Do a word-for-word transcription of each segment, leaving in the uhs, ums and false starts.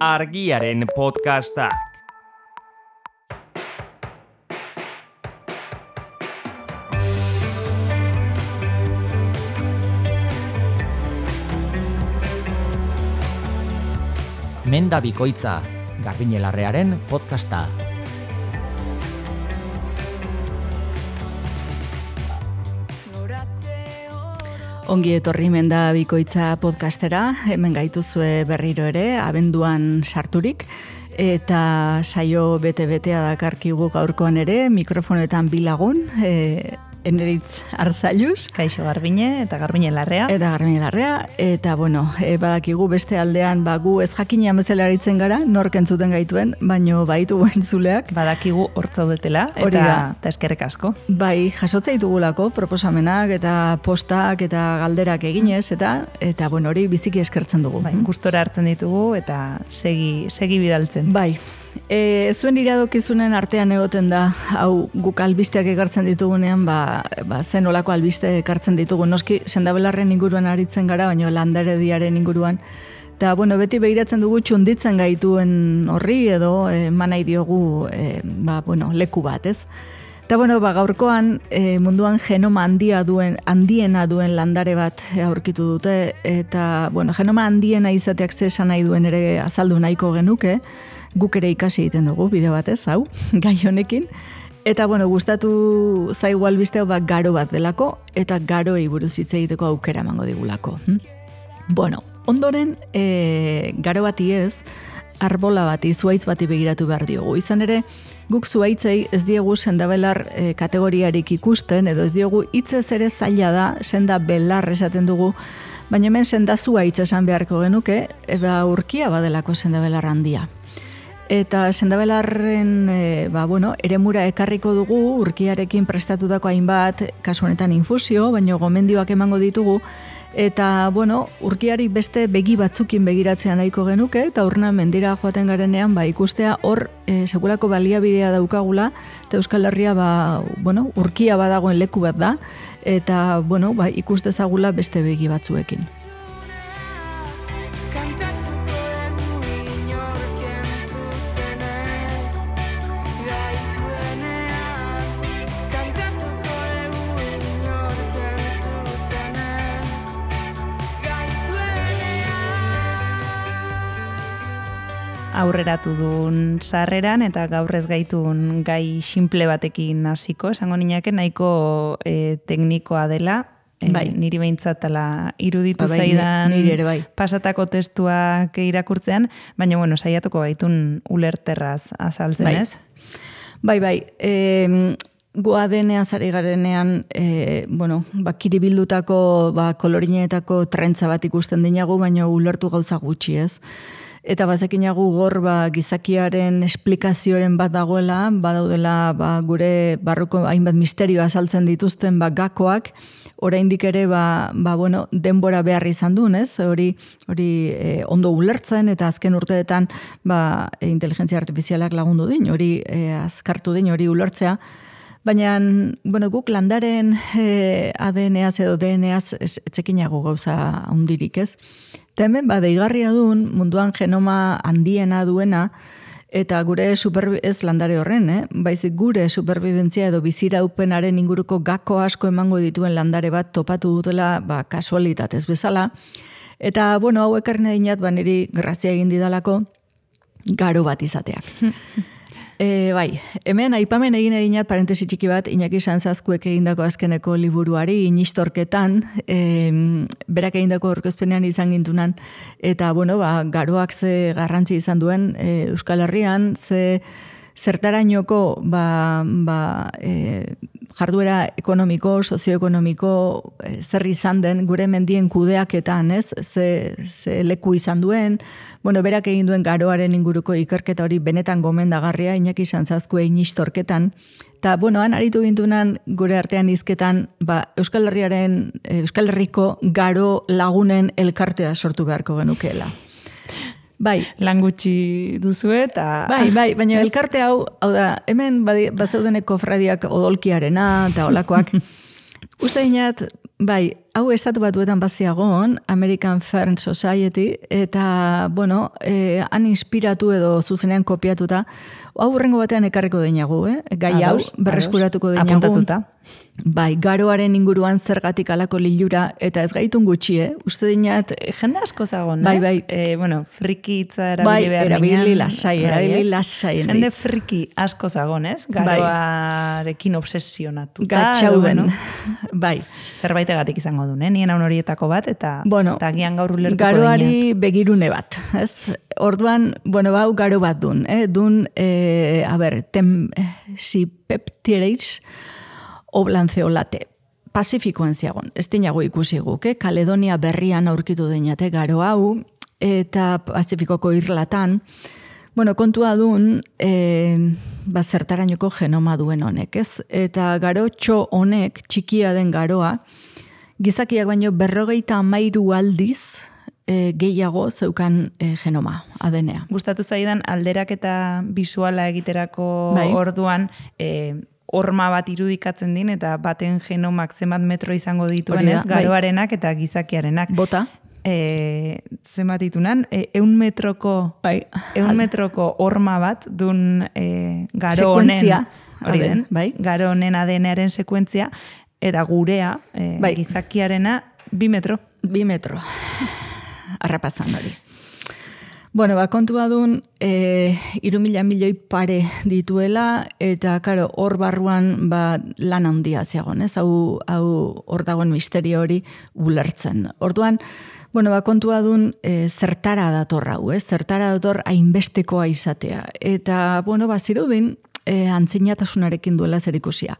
Argiaren podcastak. Menda bikoitza, Garbiñelarrearen podcasta. Ongi etorri Menda bikoitza podcastera, hemen gaituzue berriro ere, abenduan sarturik, eta saio bete-betea dakarkigu gaurkoan ere, mikrofonetan bilagun, e, Eneritz Arzailuz. Kaixo Garbiñe eta Garbiñe Larrea. Eta Garbiñe Larrea, eta bueno, e, badakigu beste aldean, ba, gu ez jakinean bezala aritzen gara, nork entzuten gaituen, baino baitu entzuleak. Badakigu hortzaudetela, eta, eta eskerrek asko. Bai, jasotza ditugulako, proposamenak eta postak eta galderak eginez, eta eta bueno, hori biziki eskertzen dugu. Bai, gustora hartzen ditugu, eta segi, segi bidaltzen. Bai. E, zuen iradokizunen artean egoten da, hau guk albisteak ekartzen ditugunean, ba, ba zen olako albiste ekartzen ditugu. Noski, sendabelarren inguruan aritzen gara, baina landarediaren inguruan. Eta, bueno, beti behiratzen dugu txunditzen gaituen horri edo eman nahi diogu e, ba, bueno, leku bat, ez? Eta, bueno, ba, gaurkoan e, munduan genoma handia duen, handiena duen landare bat aurkitu dute, eta, bueno, genoma handiena izateak ze esan nahi duen ere azaldu nahiko genuke, guk ere ikasi egiten dugu, bideo batez, hau, gai honekin. Eta, bueno, gustatu zaigu albiste hau ba, garo bat delako, eta garoei buruz hitz egiteko aukera emango digulako. Hm? Bueno, ondoren, e, garo bati ez, arbola bati, zuhaitz bati begiratu behar diogu. Izan ere, guk zuhaitzei ez diegu sendabelar e, kategoriarik ikusten, edo ez diegu hitzez ere zaila da, senda belar esaten dugu, baina hemen senda zuhaitz esan beharko genuke, eta urkia badelako sendabelar handia. Eta sendabelarren e, ba, bueno, eremura ekarriko dugu, urkiarekin prestatutako hainbat, kasu honetan infusio, baina gomendioak emango ditugu, eta, bueno, urkiari beste begi batzukin begiratzea nahiko genuke, eta urna mendira joaten garenean, ba, ikustea hor e, sekulako baliabidea daukagula, eta Euskal Herria, ba, bueno, urkia badagoen leku bat da, eta, bueno, ba, ikus dezagula beste begi batzuekin. Aurreratu duen sarreran eta gaur ez gaitun gai simple batekin hasiko, esango ninake nahiko e, teknikoa dela, e, bai. Niri behintzatala iruditu ba, bai, zaidan niri ere bai. Pasatako testuak irakurtzean, baina bueno, saiatuko gaitun ulerterraz azaltzen, bai. ez? Bai, bai, e, goa deneaz ari garenean, e, bueno, ba, kiribildutako, ba, kolorineetako trentza bat ikusten dinagu, baina ulertu gauza gutxi, ez? Eta bazekinagu gor ba, gizakiaren esplikazioaren bat dagoela, badaudela ba, gure barruko hainbat misterioa azaltzen dituzten ba, gakoak, oraindik ere ba, ba, bueno, denbora behar izan duen, ez? Hori, hori e, ondo ulertzen eta azken urteetan ba, e, inteligentzia artifizialak lagundu din, hori e, azkartu din, hori ulertzea. Baina, bueno, guk landaren e, A D N-az edo D N-az etzekinago gauza hundirik, ez? Eta hemen, ba, deigarria duen, munduan genoma handiena duena, eta gure superbi- ez landare horren, eh? Baizik gure superbibentzia edo biziraupenaren inguruko gako asko emango dituen landare bat topatu dutela, ba, kasualitatez bezala. Eta, bueno, hau ekarri nahi dinat, ba, niri grazia egin didalako garo bat izateak. E, bai, hemen aipamen egin eginat parentesi txiki bat Iñaki Sanzazkuek egindako azkeneko liburuari inistorketan, e, berak egindako aurkezpenean izan gintunan, eta bueno, ba, garoak ze garrantzi izan duen e, Euskal Herrian, ze zertarainoko ba, ba, e, jarduera ekonomiko, sozioekonomiko e, zer izan den gure mendien kudeaketan, ez? Ze, ze leku izan duen, bueno, berak egin duen garoaren inguruko ikerketa hori benetan gomendagarria Iñaki Sanzazkue inistorketan, eta, bueno, han aritu gintunan gure artean hizketan, ba, Euskal Herriaren, Euskal Herriko garo lagunen elkartea sortu beharko genukeela. Bai, lan gutxi duzu eta... Bai, bai, baina elkarte hau, hau da, hemen bazeudeneko fradiak odolkiarena eta olakoak. Uste dinat, bai, hau estatu batuetan baziagon, American Fern Society, eta, bueno, eh, han inspiratu edo zuzenean kopiatuta, hau hurrengo batean ekarriko deinagu, eh? Gai hau, berreskuratuko deinagu. Apuntatuta. Bai, garoaren inguruan zergatik alako lilura, eta ez gaitun gutxi, eh? Uste dinat... Jende asko zagon, bai, ez? Bai, e, bueno, friki hitza erabili bai, behar erabili lasai, erabili lasai. Jende friki asko zagon, ez? Garoarekin bai. Obsesionatuta. Gatxauden, bueno, bai. Zerbaitegatik izango du, eh? Nien haun horietako bat, eta, bueno, eta gian gaur ulertuko garoari deinat. Begirune bat, ez? Orduan, bueno, bau garo bat dun, eh? Dun, eh, a ber, tem, eh, si peptireiz, oblanceolate. Pasifikoan ziagon, ez dinago ikusi guk, eh? Kaledonia berrian aurkitu deinate garo hau, eta Pasifikoko irlatan, bueno, kontua dun, eh, ba, zertarainoko genoma duen honek, ez? Eta garo txo honek, txikia den garoa, gizakiak baino berrogeita amairu aldiz, E, gehiago zeukan e, genoma, A D N A. Gustatu zaidan alderak eta bisuala egiterako bai. Orduan, e, horma bat irudikatzen din, eta baten genomak zenbat metro izango dituen, ez? Garoarenak bai. Eta gizakiarenak. Bota. E, zenbat ditunan, e, eun metroko, bai. eun metroko horma bat dun e, garo honen, hori den, bai. garo honen A D N A-aren sekuentzia, eta gurea, e, bai. Gizakiarena, bi metro. Bi metro. Arrapazan hori. Bueno, ba, kontua dun, e, iru mila milioi pare dituela, eta, karo, hor barruan, ba, lan handia ziagon, ez? Hau, hau hor dagoen misterio hori ulertzen. Orduan, bueno, ba, kontua dun, e, zertara dator hau, ez? Zertara dator hainbestekoa izatea. Eta, bueno, ba, zirudin, e, antzinatasunarekin duela zerikusia.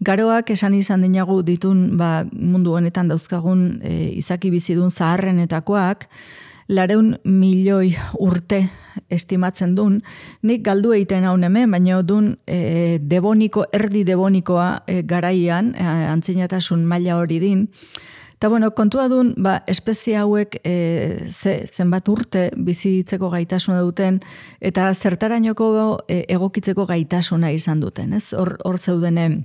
Garoak esan izan dinagu ditun ba, mundu honetan dauzkagun e, izaki bizidun zaharrenetakoak, lareun milioi urte estimatzen dun, nik galdu egiten haun hemen, baina dun e, deboniko, erdi debonikoa e, garaian, e, antzinatasun maila hori din, eta bueno, kontua dun, ba, espezie hauek e, ze, zenbat urte bizitzeko gaitasuna duten, eta zertarainoko e, egokitzeko gaitasuna izan duten, ez? Hor, hor zeudenen,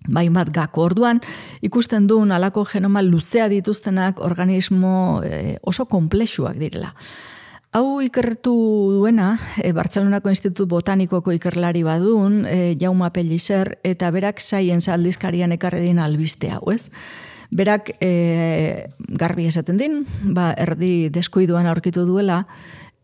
bain bat gako. Orduan, ikusten duen alako genoma luzea dituztenak organismo e, oso komplexuak direla. Hau ikertu duena, e, Bartzelonako Institutu Botanikoko ikerlari badun, e, Jaume Pellicer, eta berak Science aldizkarian ekarri din albiste hau, ez? Berak e, garbi esaten din, ba, erdi deskuiduan aurkitu duela,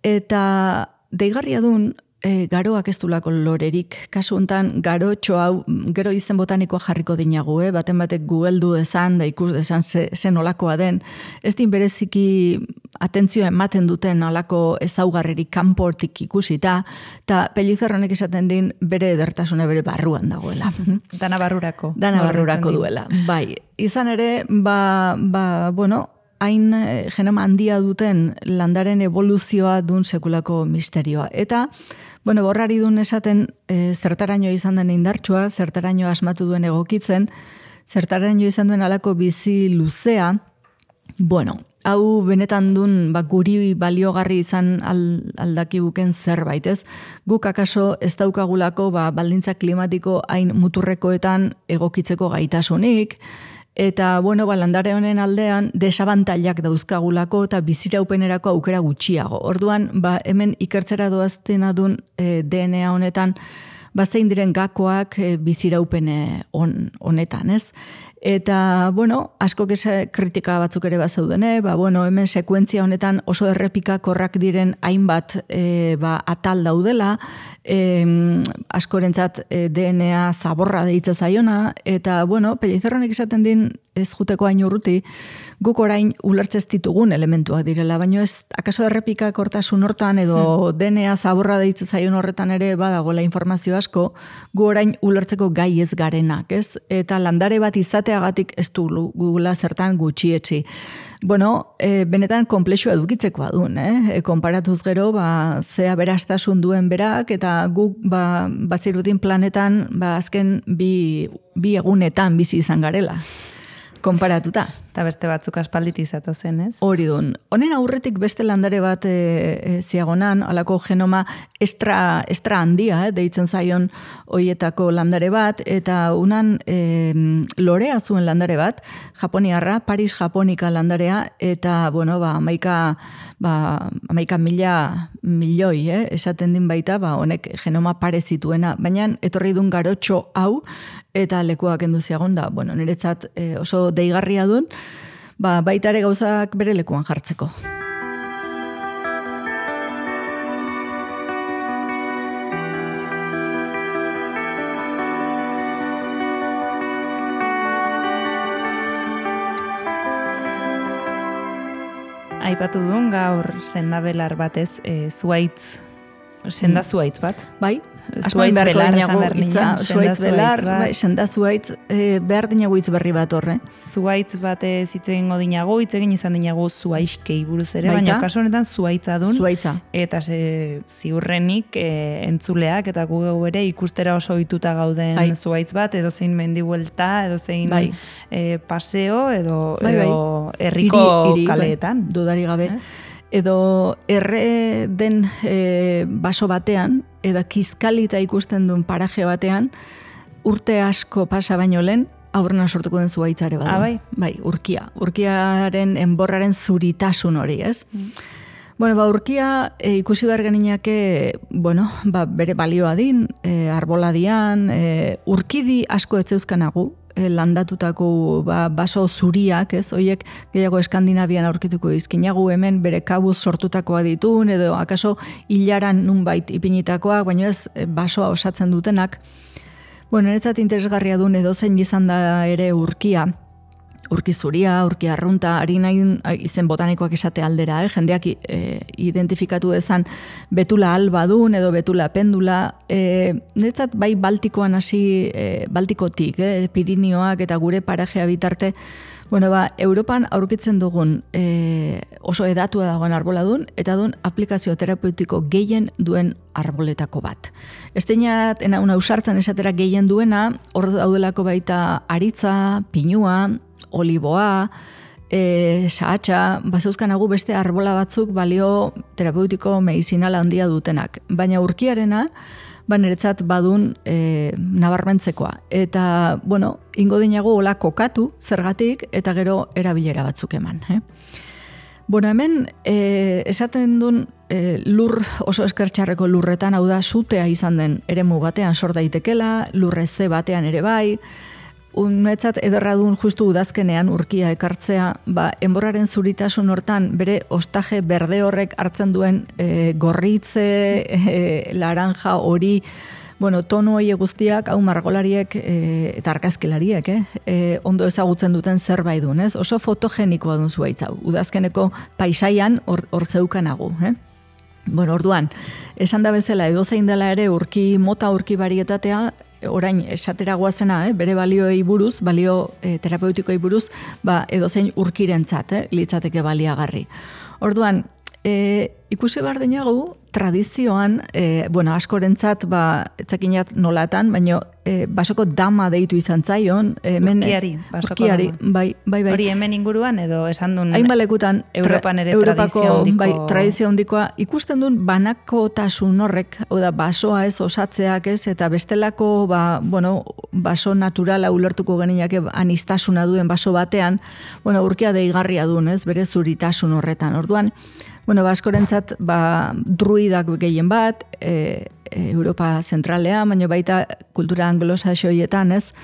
eta deigarria dun, E, garoak ez dulako lorerik. Kasu hontan garo hau gero izen botanikoa jarriko dinagu, eh? Baten batek gugeldu dezan, da ikus dezan ze, zen olakoa den. Ez din bereziki atentzioa ematen duten olako ezaugarririk kanportik ikusita, eta Pellicer honek esaten din bere edertasuna bere barruan dagoela. Dana barrurako. Dana barrurako duela. Bai, izan ere, ba, ba bueno, hain genoma handia duten landaren evoluzioa dun sekulako misterioa. Eta, bueno, borrari dun esaten e, zertaraino izan den indartsua, zertaraino asmatu duen egokitzen, zertaraino izan duen alako bizi luzea, bueno, hau benetan dun ba, guri baliogarri izan aldakibuken zerbait, ez? Guk akaso ez daukagulako ba, baldintza klimatiko hain muturrekoetan egokitzeko gaitasunik, eta, bueno, ba, landare honen aldean desabantailak dauzkagulako eta biziraupenerako aukera gutxiago. Orduan, ba, hemen ikertzera doaztena dun e, D N A honetan, ba, zein diren gakoak e, biziraupene on, honetan, ez? Eta, bueno, asko kritika batzuk ere bazaudene, ba, bueno, hemen sekuentzia honetan oso errepikakorrak diren hainbat e, ba, atal daudela, e, askorentzat e, D N A zaborra deitza zaiona, eta, bueno, Pellicerronek esaten din ez juteko hain urruti, guk orain ulertzez ditugun elementuak direla, baina ez, akaso errepikakortasun hortan edo D N A zaborra deitza zaion horretan ere badagoela informazio asko, gu orain ulertzeko gai ez garenak, ez? Eta landare bat izateagatik ez du gugula zertan gutxietzi. Bueno, e, benetan komplexua edukitzekoa duen, eh? E, konparatuz gero, ba, zea berastasun duen berak, eta guk, ba, bazirudin planetan, ba, azken bi, bi egunetan bizi izan garela. Konparatuta. Eta beste batzuk aspalditizatu zen, ez? Hori dun. Honen aurretik beste landare bat e, e, ziagonan, alako genoma estra, estra handia, eh, deitzen zaion hoietako landare bat, eta unan e, lorea zuen landare bat, japoniarra, Paris japonika landarea, eta, bueno, ba, amaika, ba, amaika mila milioi, eh, esaten din baita, ba, honek genoma pare zituena, baina etorri dun garotxo hau, eta lekuak enduziagon da, bueno, niretzat e, oso deigarria duen, ba, baita ere gauzak bere lekuan jartzeko. Aipatu duen gaur sendabelar batez, e, zuaitz, senda zuaitz bat? Bai, Zuaitz belar, esan behar itza, ninen. zuaitz belar, bai, senda zuaitz, e, behar dinagu hitz berri bat horre. Zuaitz batez hitz egingo dinagu, hitz egin izan dinagu zuaiskei buruz ere, Baita? baina kasu honetan zuaitza dun. Zuaitza. Eta ze, ziurrenik e, entzuleak eta gu geu ere ikustera oso ohituta gauden Bai. zuaitz bat, edo zein mendibuelta, edo zein Bai. e, paseo, edo, Bai, bai. edo herriko Hiri- hiri, kaleetan. bai, dudari gabe. Ez? Edo erre den e, baso batean, edo kizkalita ikusten duen paraje batean, urte asko pasa baino lehen, aurrena sortuko den zuaitzare badu. Ah, bai? Bai, urkia. Urkiaren enborraren zuritasun hori, ez? Mm. Bueno, ba, urkia e, ikusi behar geninake, bueno, ba, bere balioa din, e, arbola dian, e, urkidi asko etzeuzkanagu, e, landatutako ba, baso zuriak, ez, hoiek gehiago Eskandinavian aurkituko izkinagu, hemen bere kabuz sortutakoa ditun, edo akaso hilaran nunbait ipinitakoak, baina ez e, basoa osatzen dutenak. Bueno, niretzat interesgarria duen edo zein izan da ere urkia, urki zuria, urki arrunta, ari nahi izen botanikoak esate aldera, eh? Jendeak e, identifikatu dezan betula alba dun edo betula pendula, e, niretzat bai Baltikoan hasi, e, Baltikotik, eh? Pirinioak eta gure parajea bitarte, bueno, ba, Europan aurkitzen dugun e, oso edatua dagoen arbola dun, eta dun aplikazio terapeutiko gehien duen arboletako bat. Esteinat, ena una usartzen esatera gehien duena, hor daudelako baita aritza, pinua, oliboa, e, sahatxa, bazeuzkanagu beste arbola batzuk balio terapeutiko medizinala handia dutenak. Baina urkiarena, ba niretzat badun e, nabarmentzekoa. Eta, bueno, ingo dinago hola kokatu, zergatik, eta gero erabilera batzuk eman. Eh? Bueno, hemen, e, esaten duen e, lur oso eskertxarreko lurretan, hau da, sutea izan den eremu batean sor daitekela, lurreze batean ere bai, unetzat ederra duen justu udazkenean urkia ekartzea, ba, enborraren zuritasun hortan bere ostaje berde horrek hartzen duen e, gorritze, e, laranja, hori, bueno, tono hori guztiak, hau margolariek e, eta argazkilariek, eh? E, ondo ezagutzen duten zerbait duen, ez? Oso fotogenikoa duen zuaitz hau, udazkeneko paisaian hor, hor zeukanagu, eh? Bueno, orduan, esan da bezala edozein dela ere urki mota urki barietatea, orain esatera goazena, eh, bere balioei buruz, balio eh, terapeutikoei buruz, ba, edozein urkirentzat, eh, litzateke baliagarri. Orduan, eh, ikusi behar denagu, tradizioan, eh, bueno, askorentzat, ba, etzakinat nolatan, baino eh, basoko dama deitu izan zaion. Hemen, urkiari, basoko urkiari, dama. bai, bai, bai. Hori hemen inguruan edo esan duen Hainbalekutan, Europan ere Europako, tradizio handiko... bai, tradizio handikoa, ikusten duen banakotasun horrek, hau da, basoa ez osatzeak ez, eta bestelako, ba, bueno, baso naturala ulertuko geniake anistasuna duen baso batean, bueno, urkia deigarria duen, ez, bere zuritasun horretan. Orduan, bueno, baskorentzat, ba, druidak gehien bat, e, e, Europa zentralean, baina baita kultura anglosaxoietan, ez?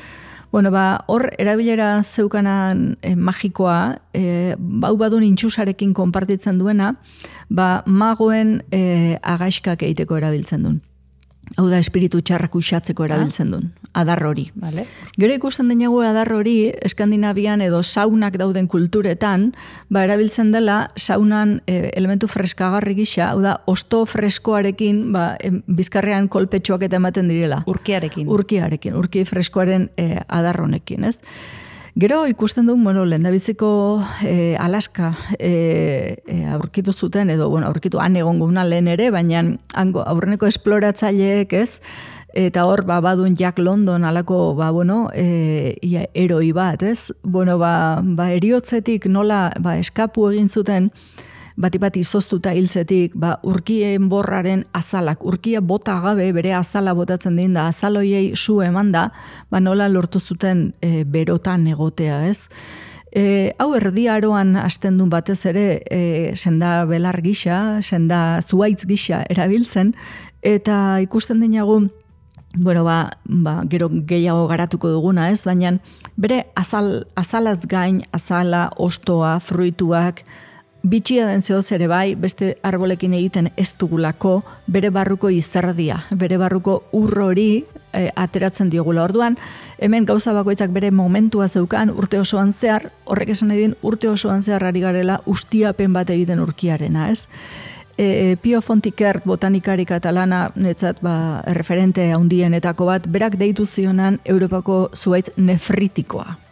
Bueno, ba, hor, erabilera zeukanan e, magikoa, e, bau badun intxusarekin konpartitzen duena, ba, magoen e, agaixkak egiteko erabiltzen duen. Hau da, espiritu txarrak uxatzeko erabiltzen duen, adar hori. Vale. Gero ikusten denago adar hori, Eskandinavian edo saunak dauden kulturetan, ba, erabiltzen dela saunan e, elementu freskagarri gisa, hau da, osto freskoarekin, ba, em, bizkarrean kolpetxoak eta ematen direla. Urkiarekin. Urkiarekin, urki freskoaren e, adar honekin, ez? Gero ikusten duen, bueno, lehendabiziko e, Alaska e, e, aurkitu zuten, edo, bueno, aurkitu han egon guna lehen ere, baina hango, aurreneko esploratzaileek, ez, eta hor, ba, badun Jack London alako, ba, bueno, e, ia, eroi bat, ez? Bueno, ba, ba eriotzetik nola, ba, eskapu egin zuten, bati-bati izoztuta hiltzetik, ba, urkien borraren azalak, urkia bota gabe, bere azala botatzen din da, azaloiei su eman da, ba, nola lortu zuten e, berotan egotea, ez? E, hau erdiaroan hasten duen batez ere, e, senda belar gisa, senda zuaitz gisa erabiltzen, eta ikusten dinagu, bueno, ba, ba, gero gehiago garatuko duguna, ez? Baina bere azal, azalaz gain, azala, ostoa, fruituak, bitxia den zehoz ere bai, beste arbolekin egiten ez dugulako, bere barruko izerdia, bere barruko urrori e, ateratzen diogula. Orduan, hemen gauza bakoitzak bere momentua zeukan urte osoan zehar, horrek esan edin urte osoan zehar ari garela ustiapen bat egiten urkiarena, ez? E, Pio Fontikert botanikari katalana, netzat ba, referente handienetako bat, berak deitu zionan Europako zuaitz nefritikoa.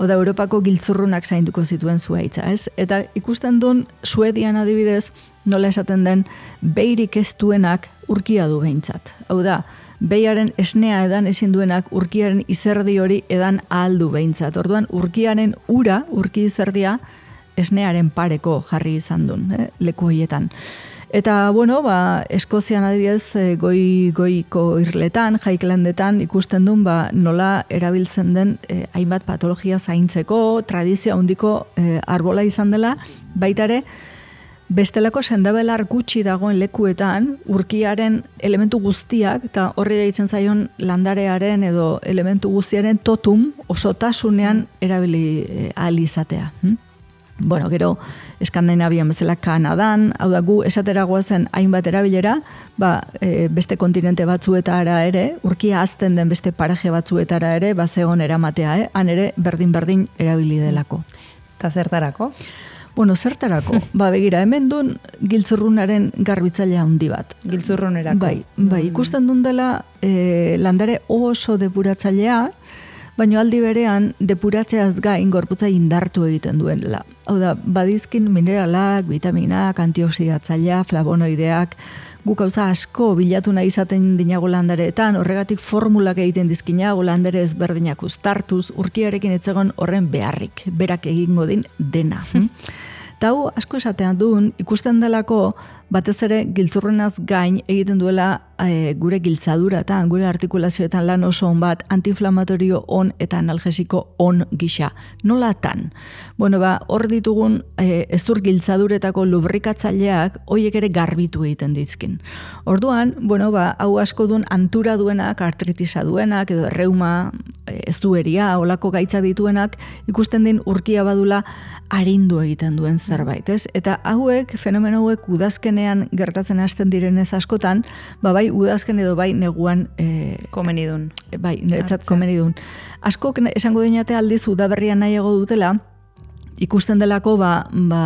Oda Europako giltzurrunak zainduko zituen zuaitza, ez? Eta ikusten duen Suedian adibidez, nola esaten den, beirik ez duenak urkia du behintzat. Hau da, behiaren esnea edan ezin duenak urkiaren izerdi hori edan ahaldu behintzat. Orduan, urkiaren ura, urki izerdia, esnearen pareko jarri izan duen, eh? Leku horietan. Eta, bueno, ba, Eskozian adibidez, goi, goiko irletan, Highlandetan ikusten duen, ba, nola erabiltzen den eh, hainbat patologia zaintzeko, tradizio handiko eh, arbola izan dela, baita ere, bestelako sendabelar gutxi dagoen lekuetan, urkiaren elementu guztiak, eta horri deitzen zaion landarearen edo elementu guztiaren totum osotasunean erabili eh, ahal izatea. Hm? Bueno, gero, Eskandinavian bezala Kanadan, hau da gu esateragoa zen hainbat erabilera, ba, e, beste kontinente batzuetara ere, urkia azten den beste paraje batzuetara ere, ba, zegon eramatea, eh? Han ere berdin-berdin erabili delako. Eta zertarako? Bueno, zertarako? Ba, begira, hemen duen giltzurrunaren garbitzailea handi bat. Giltzurrunerako. Bai, bai, ikusten duen dela e, landare oso depuratzailea, baina aldi berean depuratzeaz gain gorputza indartu egiten duela. Hau da, badizkin mineralak, vitaminak, antioxidatzailea, flavonoideak, guk gauza asko bilatu nahi izaten dinago landareetan, horregatik formulak egiten dizkinago landare ezberdinak uztartuz, urkiarekin etzegon horren beharrik, berak egingo din dena. Eta hau asko esatean duen, ikusten delako batez ere giltzurrenaz gain egiten duela e, gure giltzaduratan, gure artikulazioetan lan oso on bat, antiinflamatorio on eta analgesiko on gisa. Nolatan? Bueno, ba, hor ditugun e, ezur giltzaduretako lubrikatzaileak hoiek ere garbitu egiten dizkin. Orduan, bueno, ba, hau asko duen antura duenak, artritisa duenak, edo reuma, ez dueria, olako gaitza dituenak, ikusten din urkia badula arindu egiten duen zerbait, ez? Eta hauek, fenomeno hauek udazkenean gertatzen hasten direnez askotan, ba bai udazken edo bai neguan e, komenidun. Bai, niretzat komenidun. Askok esango dinate aldiz udaberrian nahiago dutela, ikusten delako ba, ba,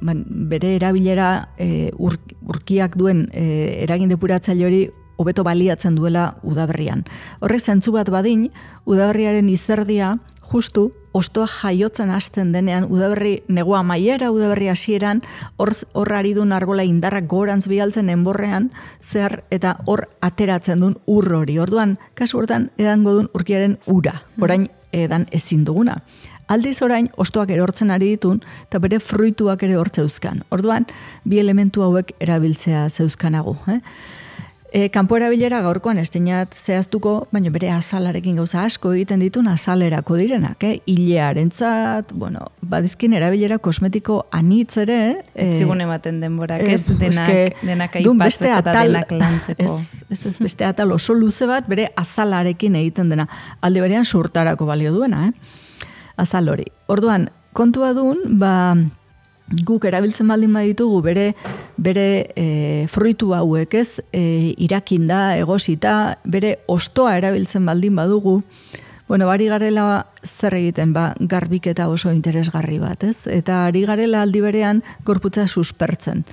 ba, bere erabilera e, ur, urkiak duen e, eragin depuratzaile hori hobeto baliatzen duela udaberrian. Horrek zentzu bat badin, udaberriaren izerdia justu ostoa jaiotzen hasten denean, udaberri negua maiera, udaberri hasieran, hor, hor ari duen arbola indarrak gorantz bialtzen enborrean, zer eta hor ateratzen duen ur hori. Orduan, kasu hortan edango duen urkiaren ura, orain edan ezin duguna. Aldiz orain, ostoak erortzen ari ditun, eta bere fruituak ere hor zeuzkan. Orduan, bi elementu hauek erabiltzea zeuzkanagu. Eh? E, kanpo erabilera gaurkoan ez dinat zehaztuko, baina bere azalarekin gauza asko egiten ditun azalerako direnak, eh? Ilearentzat, bueno, badizkin erabilera kosmetiko anitz ere. Eh, Zigun ematen denborak, ez? Eh, denak, eske, denak aipatzeko eta denak lantzeko. Ez, ez, ez, beste atal oso luze bat bere azalarekin egiten dena. Alde berean surtarako balio duena, eh? Azal hori. Orduan, kontua duen, ba... guk erabiltzen baldin baditugu bere bere e, fruitu hauek, ez, e, irakinda, egosita, bere ostoa erabiltzen baldin badugu, bueno, bari garela zer egiten, ba, garbiketa oso interesgarri bat, ez? Eta ari garela aldi berean gorputza suspertzen.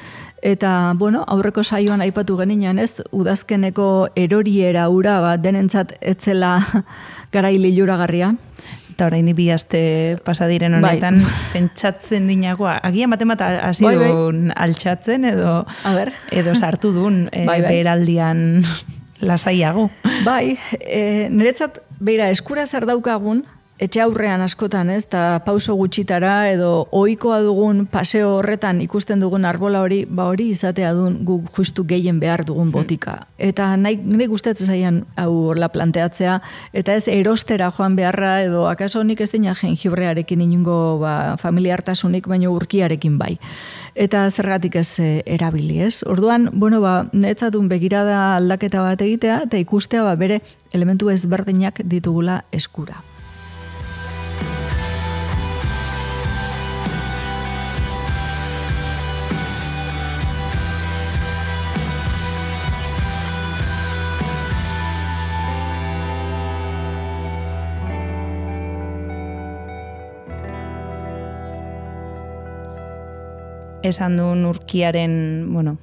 Eta, bueno, aurreko saioan aipatu geninan, ez, udazkeneko eroriera ura, ba, denentzat etzela garai liluragarria. Eta orain bi aste pasadiren honetan, bai. Pentsatzen dinagoa, agian baten bat hasi duen bai, bai. altxatzen edo, edo sartu duen e, bai, bai. beraldian lasaiago. Bai, e, niretzat, beira, eskura zer daukagun, etxe aurrean askotan, ez, eta pauso gutxitara edo ohikoa dugun paseo horretan ikusten dugun arbola hori, ba hori izatea duen guk justu gehien behar dugun botika. Eta nahi, nahi gustatzen zaian hau horla planteatzea, eta ez erostera joan beharra edo akaso nik ez dina jengibrearekin inungo ba, familiartasunik, baino urkiarekin bai. Eta zergatik ez e, erabili, ez? Orduan, bueno, ba, netzatun begirada aldaketa bat egitea, eta ikustea ba, bere elementu ezberdinak ditugula eskura. Esan duen urkiaren, bueno,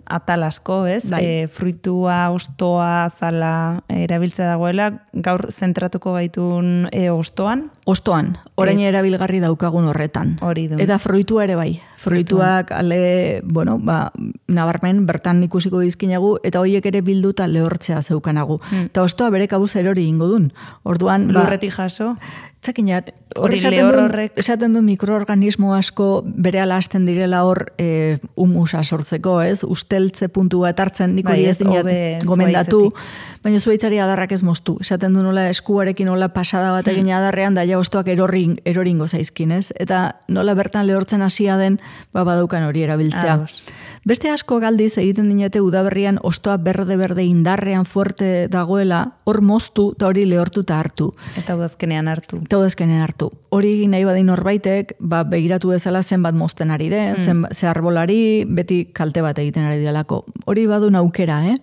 atal asko, ez? Bai. E, fruitua, ostoa, zala erabiltza dagoela, gaur zentratuko gaitun e, ostoan? Ostoan, orain erabilgarri daukagun horretan. Hori du. Eta fruitua ere bai. Fruituak ale, bueno, ba, nabarmen bertan ikusiko dizkinagu, eta horiek ere bilduta lehortzea zeukanagu. Hmm. Eta ostoa bere kabuz erori ingo dun. Orduan, ba, lurretik jaso. Txakinat, hori esaten lehor du, horrek. esaten du mikroorganismo asko bere hasten direla hor e, humusa sortzeko, ez? Usteltze puntu bat hartzen, nik hori Bai, ez dinat hobe gomendatu, zuhaitzetik. baina zuhaitzari adarrak ez moztu. Esaten du nola eskuarekin nola pasada bat egin adarrean, da ja ostoak erorin, eroringo zaizkin, ez? Eta nola bertan lehortzen hasia den, ba badaukan hori erabiltzea. Ados. Beste asko galdiz egiten dinete udaberrian ostoa berde-berde indarrean fuerte dagoela, hor moztu eta hori lehortuta hartu. Eta udazkenean hartu. Eta udazkenean hartu. Hori nahi badin norbaitek, ba, begiratu dezala zenbat mozten ari den, hmm. zen, ze arbolari beti kalte bat egiten ari delako. Hori badun aukera, eh?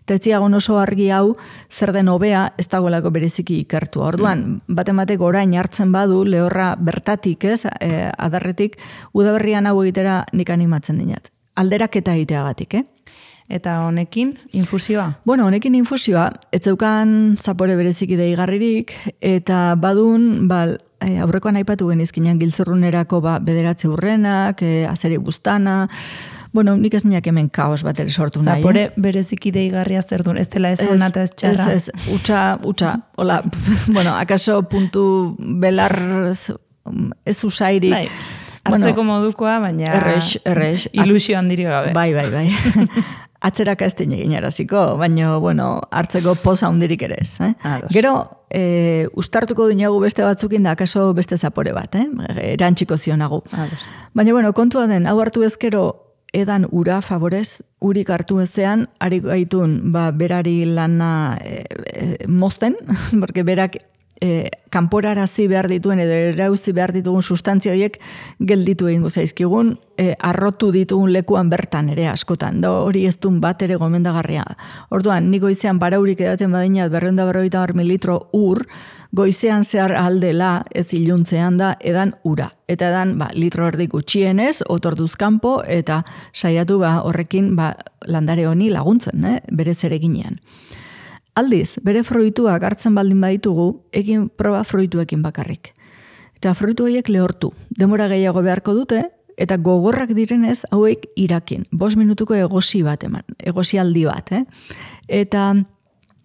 Eta etziagon oso argi hau, zer den hobea, ez dagoelako bereziki ikertu. Orduan, hmm. bat ematek orain hartzen badu, lehorra bertatik, ez, e, adarretik, udaberrian hau egitera nik animatzen dinat. Alderaketa egiteagatik, eh? Eta honekin, infusioa? Bueno, honekin infusioa, ez zeukan zapore bereziki deigarririk, eta badun, bal, e, aurrekoan aipatu genizkinan giltzurrunerako ba, bederatze urrenak, e, azeri bustana, bueno, nik ez niak hemen kaos bat ere sortu nahi. Zapore bereziki deigarria zer duen, ez dela ez hona eta ez txarra? Ez, ez, utxa, utxa, hola, bueno, akaso puntu belar ez usairik. Bai. Hartzeko bueno, modukoa, baina errex, errex. Ilusio handiri gabe. Bai, bai, bai. Atzeraka ez den egin araziko, baina, bueno, hartzeko poza hundirik ere ez. Eh? Gero, e, ustartuko dinagu beste batzukin da, akaso beste zapore bat, eh? Erantxiko zionagu. Ados. Baina, bueno, kontua den, hau hartu ezkero, edan ura favorez, urik hartu ezean, ari gaitun, ba, berari lana e, e, mozten, porque berak E, kanporarazi behar dituen edo erauzi behar ditugun sustantzia horiek gelditu egingo zaizkigun, e, arrotu ditugun lekuan bertan ere askotan, da hori ez duen bat ere gomendagarria. Orduan, ni goizean baraurik edaten badina berreunda berroita bar mililitro ur, goizean zehar aldela ez iluntzean da edan ura. Eta edan ba, litro erdi gutxienez, otorduz kanpo, eta saiatu ba, horrekin ba, landare honi laguntzen, eh? Bere zereginean. Aldiz, bere fruituak hartzen baldin baditugu, egin proba fruituekin bakarrik. Eta fruitu horiek lehortu. Demora gehiago beharko dute, eta gogorrak direnez hauek irakin. Bost minutuko egosi bat eman, egosi aldi bat. Eh? Eta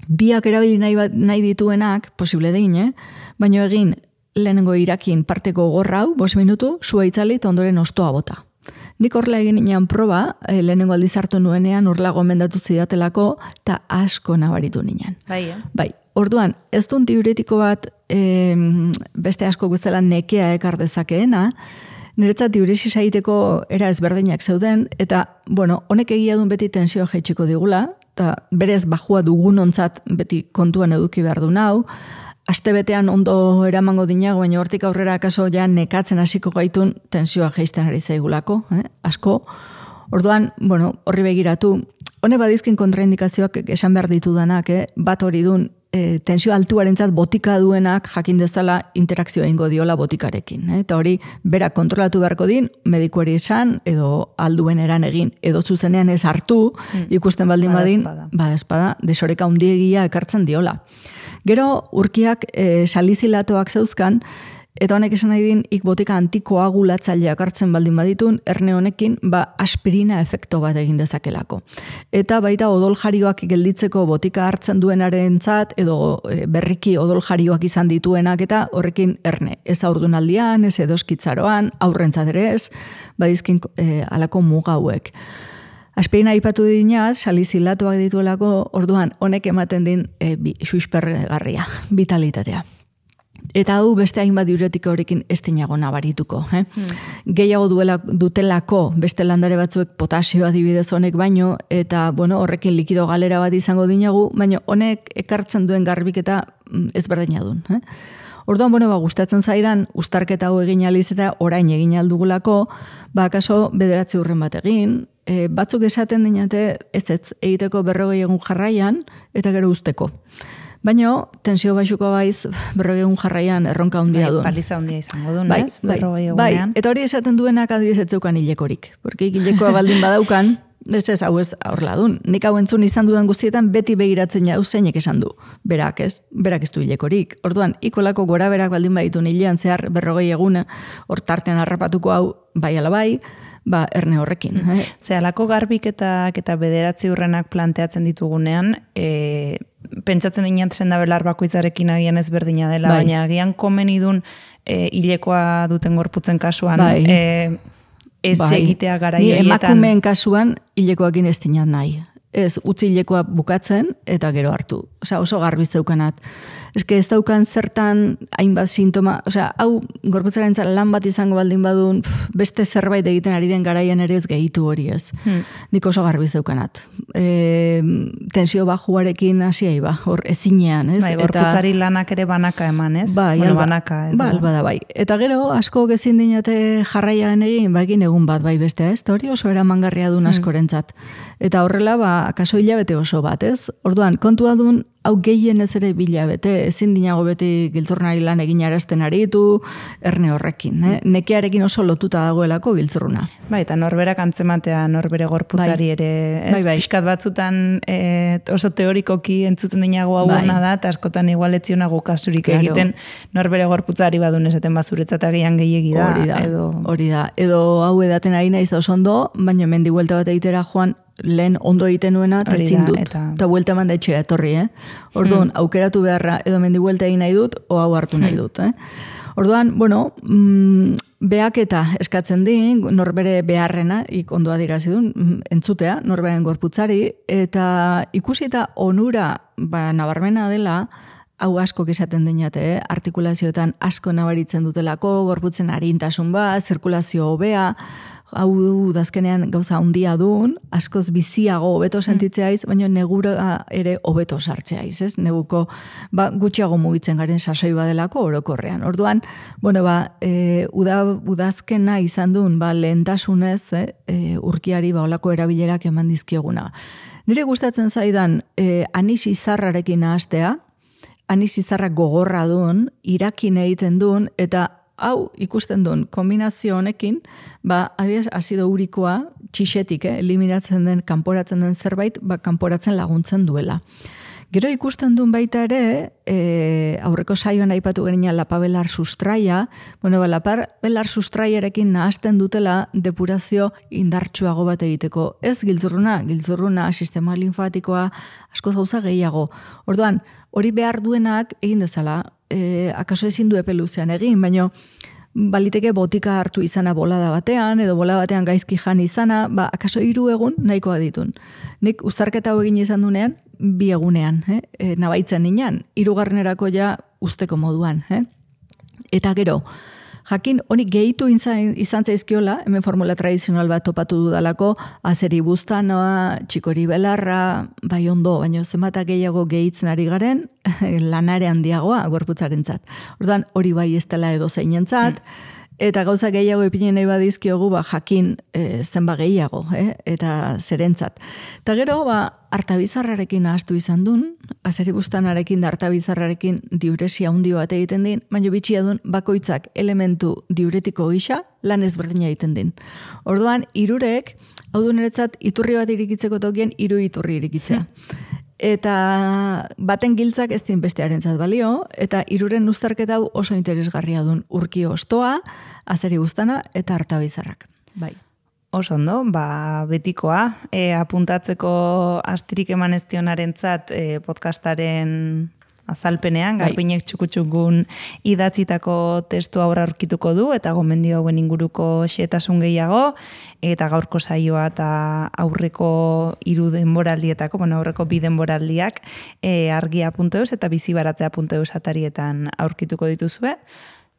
biak erabili nahi, bat, nahi dituenak, posible dein, eh? Baina egin lehenengo irakin parteko gogorra hau, bost minutu, sua itzali eta ondoren ostoa bota. Nik horrela egin inean proba, eh, lehenengo aldiz hartu nuenean, horrela gomendatu zidatelako, eta asko nabaritu ninean. Bai, eh? Bai, orduan, ez duen diuretiko bat eh, beste asko guztela nekea ekar dezakeena, niretzat diuresi zaiteko era ezberdinak zeuden, eta, bueno, honek egia duen beti tensioa jaitsiko digula, eta berez bajua dugunontzat beti kontuan eduki behar du nau, astebetean ondo eramango dinago, baina hortik aurrera akaso ja nekatzen hasiko gaitun tensioa jaisten ari zaigulako, eh? Asko. Orduan, bueno, horri begiratu, hone badizkin kontraindikazioak esan behar ditudanak, eh? Bat hori dun, e, tensio altuarentzat botika duenak jakin dezala interakzioa ingo diola botikarekin. Eh? Eta hori, berak kontrolatu beharko din, medikuari esan, edo alduen eran egin, edo zuzenean ez hartu, mm. ikusten baldin badin, ba espada, desoreka hundiegia ekartzen diola. Gero, urkiak e, salizilatoak zeuzkan, Eta honek esan nahi din, ik botika antikoagulatzaileak hartzen baldin baditun, erne honekin, ba, aspirina efekto bat egin dezakelako. Eta baita odoljarioak gelditzeko botika hartzen duenarentzat edo e, berriki odoljarioak izan dituenak eta horrekin erne. Ez haurdunaldian, ez edoskitzaroan, aurrentzat ere ez, badizkin e, alako muga hauek. Aspirina aipatu dinaz, salizilatuak dituelako, orduan honek ematen din e, bi, suspergarria, vitalitatea. Eta hau beste hainbat diuretiko horrekin ez dinago nabarituko. Eh? Hmm. Gehiago duela, dutelako beste landare batzuek potasio adibidez honek baino, eta bueno, horrekin likido galera bat izango dinagu, baino honek ekartzen duen garbiketa ezberdina duen. Eh? Orduan, bueno, ba, gustatzen zaidan, uztarketa hau egin aliz eta orain egin aldugulako, ba, kaso bederatzi urren bat egin, e, batzuk esaten dinate ez ez egiteko berrogei egun jarraian, eta gero usteko. Baina, tensio baixuko baiz, berrogei egun jarraian erronka handia duen. Bai, paliza handia izango duen, bai, ez? Berrogei egunean. Bai, eta hori esaten duenak adibidez ez zeukan hilekorik. Porque hilekoa baldin badaukan, ez ez hau ez horrela dun. Nik hau entzun izan dudan guztietan beti begiratzen jau zeinek esan du. Berak ez, berak ez du hilekorik. Orduan, ikolako gora berak baldin baditu hilean zehar berrogei eguna, hor tartean harrapatuko hau bai ala bai, ba, erne horrekin. Mm. Eh? Ze, alako garbiketak eta bederatzi urrenak planteatzen ditugunean, e, pentsatzen dinatzen da belar bakoitzarekin agian ezberdina dela, bai. Baina agian komen idun e, hilekoa duten gorputzen kasuan, bai. e, ez bai. egitea gara Ni hiletan. emakumeen kasuan hilekoakin ez dinat nahi. Ez, utzi hilekoa bukatzen eta gero hartu. Osea, oso garbi zeukanat. Eske ez daukan zertan hainbat sintoma, osea, hau gorputzarentzat lan bat izango baldin badun, pff, beste zerbait egiten ari den garaian ere ez gehitu hori ez. Hmm. Nik oso garbi zeukanat. E, tensio bajuarekin hasiai ba, hor ezinean, ez? Bai, gorputzari eta lanak ere banaka eman, ez? Bai, bueno, alba, banaka. Edo. Ba, alba da bai. Eta gero, asko gezin dinate jarraian egin, ba, egin egun bat bai bestea, ez? Eta hori oso eramangarria duen askorentzat. Eta horrela, ba, akaso hilabete oso bat, ez? Orduan, kontua duen, hau gehien ez ere bilabete, ezin dinago beti giltzurnari lan egin arazten aritu, erne horrekin. Eh? Nekearekin oso lotuta dagoelako giltzurruna. Bai, eta norberak antzematea norbere gorputzari bai. Ere, ez? Bai, bai. Piskat batzutan e, oso teorikoki entzuten dinago hau bai. Da, eta askotan igual etzionago kasurik claro. Egiten norbere gorputzari badun esaten bazuretzat agian gehiegi da. Hori da, edo... hori da. Edo hau edaten ari naiz da oso ondo, baina mendi buelta bat egitera joan, lehen ondo egiten nuena, eta ezin dut. Eta, eta buelta eman da etxera etorri, eh? Orduan, hmm. aukeratu beharra edo mendi buelta egin nahi dut, o hau hartu nahi dut, eh? Orduan, bueno, mm, behaketa eskatzen di, norbere beharrena, ik ondo adirazi duen, entzutea, norberen gorputzari, eta ikusi eta onura, ba, nabarmena dela, hau asko izaten dinate, eh? Artikulazioetan asko nabaritzen dutelako, gorputzen arintasun bat, zirkulazio hobea, hau dazkenean gauza handia duen, askoz biziago hobeto sentitzeaiz, baina negura ere hobeto sartzeaiz, ez? Neguko ba, gutxiago mugitzen garen sasoi badelako orokorrean. Orduan, bueno, ba, e, uda, udazkena izan duen, ba, lehentasunez, eh? e, urkiari ba, olako erabilerak eman dizkioguna. Nire gustatzen zaidan, e, anis izarrarekin nahastea, anis izarra gogorra duen, irakin egiten duen, eta hau ikusten duen kombinazio honekin, ba, adibidez, azido urikoa, txixetik, eh, eliminatzen den, kanporatzen den zerbait, ba, kanporatzen laguntzen duela. Gero ikusten duen baita ere, e, aurreko saioan aipatu gerina lapabelar sustraia, bueno, ba, lapabelar sustraiarekin nahazten dutela depurazio indartsuago bat egiteko. Ez giltzurruna, giltzurruna, sistema linfatikoa, asko gauza gehiago. Orduan, hori behar duenak egin dezala, e, akaso ezin du epe luzean egin, baina baliteke botika hartu izana bolada batean, edo bola batean gaizki jan izana, ba, akaso hiru egun nahikoa ditun. Nik uztarketa hau egin izan dunean, bi egunean, eh? e, nabaitzen ninan, hirugarrenerako ja usteko moduan. Eh? Eta gero, jakin, honi gehitu izan, izan zaizkiola, hemen formula tradizional bat topatu dudalako, azeri buztanoa, txikori belarra, bai ondo, baina zenbata gehiago gehitzen ari garen, lanare handiagoa gorputzarentzat. Orduan, hori bai ez dela edo zeinentzat, eta gauza gehiago ipinen nahi badizkiogu, ba, jakin e, zenba gehiago, eh? Eta zerentzat. Eta gero, ba, artabizarrarekin ahaztu izan duen, azeri buztanarekin da artabizarrarekin diuresia handi bat egiten din, baina bitxia duen bakoitzak elementu diuretiko gisa lan ezberdina egiten din. Orduan, hirurek, hau du niretzat, iturri bat irikitzeko tokien, hiru iturri irikitzea. eta baten giltzak ez din bestearentzat balio, eta hiruren uztarketa hau oso interesgarria dun urki ostoa, azeri guztana eta hartabizarrak. Bai. Oso ondo, ba, betikoa, e, apuntatzeko astirik eman ez dionarentzat e, podcastaren azalpenean, bai. Garbiñek txukutxukun idatzitako testu aurra aurkituko du, eta gomendio hauen inguruko xetasun gehiago, eta gaurko saioa eta aurreko hiru denboraldietako, bueno, aurreko bi denboraldiak e, argia puntu eus eta bizibaratzea puntu eus atarietan aurkituko dituzue,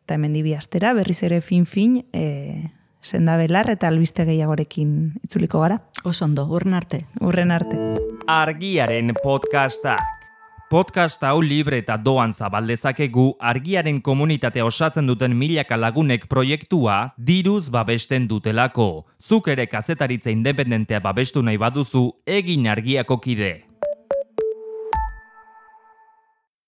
eta hemen dibi astera, berriz ere fin-fin, e, senda belar eta albiste gehiagorekin itzuliko gara. Oso ondo, urren arte. Urren arte. Argiaren podcastak. Podcast hau libre eta doan zabaldezakegu argiaren komunitatea osatzen duten milaka lagunek proiektua diruz babesten dutelako. Zuk ere kazetaritza independentea babestu nahi baduzu, egin argiako kide.